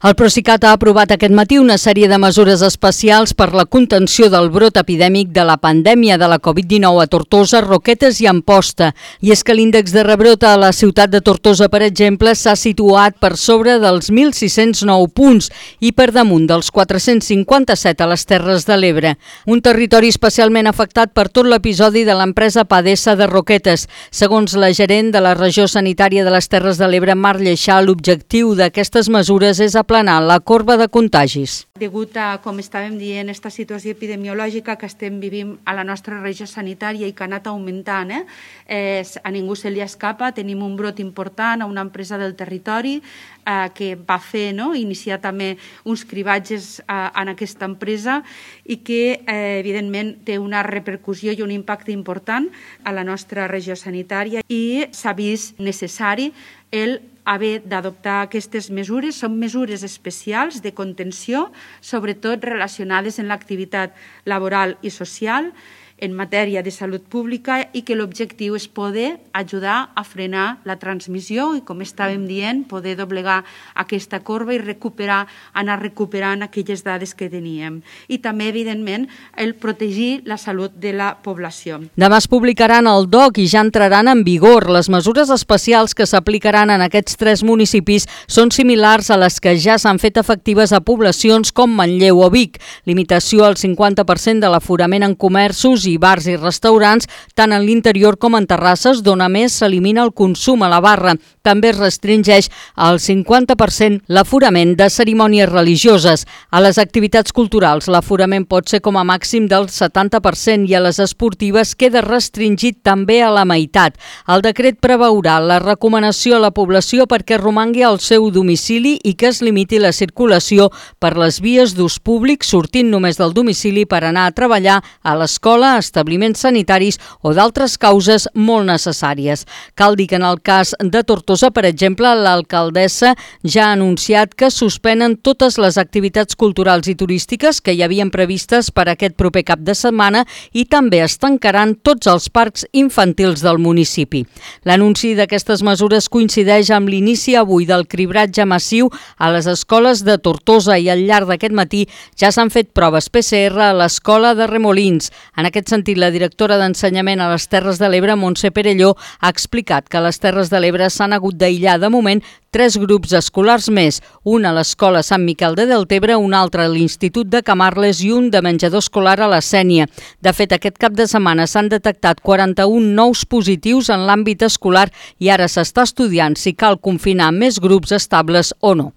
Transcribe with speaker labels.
Speaker 1: El Procicat ha aprovat aquest matí una sèrie de mesures especials per la contenció del brot epidèmic de la pandèmia de la Covid-19 a Tortosa, Roquetes i Amposta. I és que l'índex de rebrot a la ciutat de Tortosa, per exemple, s'ha situat per sobre dels 1.609 punts i per damunt dels 457 a les Terres de l'Ebre. Un territori especialment afectat per tot l'episodi de l'empresa Padesa de Roquetes. Segons la gerent de la regió sanitària de les Terres de l'Ebre, Mar Lleixà, l'objectiu d'aquestes mesures és aplanar la corba de contagis.
Speaker 2: Degut a, com estàvem dient, aquesta situació epidemiològica que estem vivint a la nostra regió sanitària i que ha anat augmentant, a ningú se li escapa, tenim un brot important a una empresa del territori que va fer, iniciar també uns cribatges en aquesta empresa i que, evidentment, té una repercussió i un impacte important a la nostra regió sanitària i s'ha vist necessari el haver d'adoptar aquestes mesures. Són mesures especials de contenció, sobretot relacionades amb l'activitat laboral i social, en matèria de salut pública i que l'objectiu és poder ajudar a frenar la transmissió i, com estàvem dient, poder doblegar aquesta corba i anar recuperant aquelles dades que teníem. I també, evidentment, el protegir la salut de la població.
Speaker 1: Demà es publicaran el DOC i ja entraran en vigor. Les mesures especials que s'aplicaran en aquests 3 municipis són similars a les que ja s'han fet efectives a poblacions com Manlleu o Vic. Limitació al 50% de l'aforament en comerços i bars i restaurants, tant en l'interior com en terrasses, d'on a més s'elimina el consum a la barra. També es restringeix al 50% l'aforament de cerimònies religioses. A les activitats culturals l'aforament pot ser com a màxim del 70% i a les esportives queda restringit també a la meitat. El decret preveurà la recomanació a la població perquè romangui al seu domicili i que es limiti la circulació per les vies d'ús públic, sortint només del domicili per anar a treballar a l'escola, establiments sanitaris o d'altres causes molt necessàries. Cal dir que en el cas de Tortosa, per exemple, l'alcaldessa ja ha anunciat que suspenen totes les activitats culturals i turístiques que hi havien previstes per aquest proper cap de setmana i també es tancaran tots els parcs infantils del municipi. L'anunci d'aquestes mesures coincideix amb l'inici avui del cribratge massiu a les escoles de Tortosa i al llarg d'aquest matí ja s'han fet proves PCR a l'escola de Remolins. En aquest sentit, la directora d'Ensenyament a les Terres de l'Ebre, Montse Perelló, ha explicat que a les Terres de l'Ebre s'han hagut d'aïllar de moment 3 grups escolars més, un a l'Escola Sant Miquel de Deltebre, un altre a l'Institut de Camarles i un de menjador escolar a la Sénia. De fet, aquest cap de setmana s'han detectat 41 nous positius en l'àmbit escolar i ara s'està estudiant si cal confinar més grups estables o no.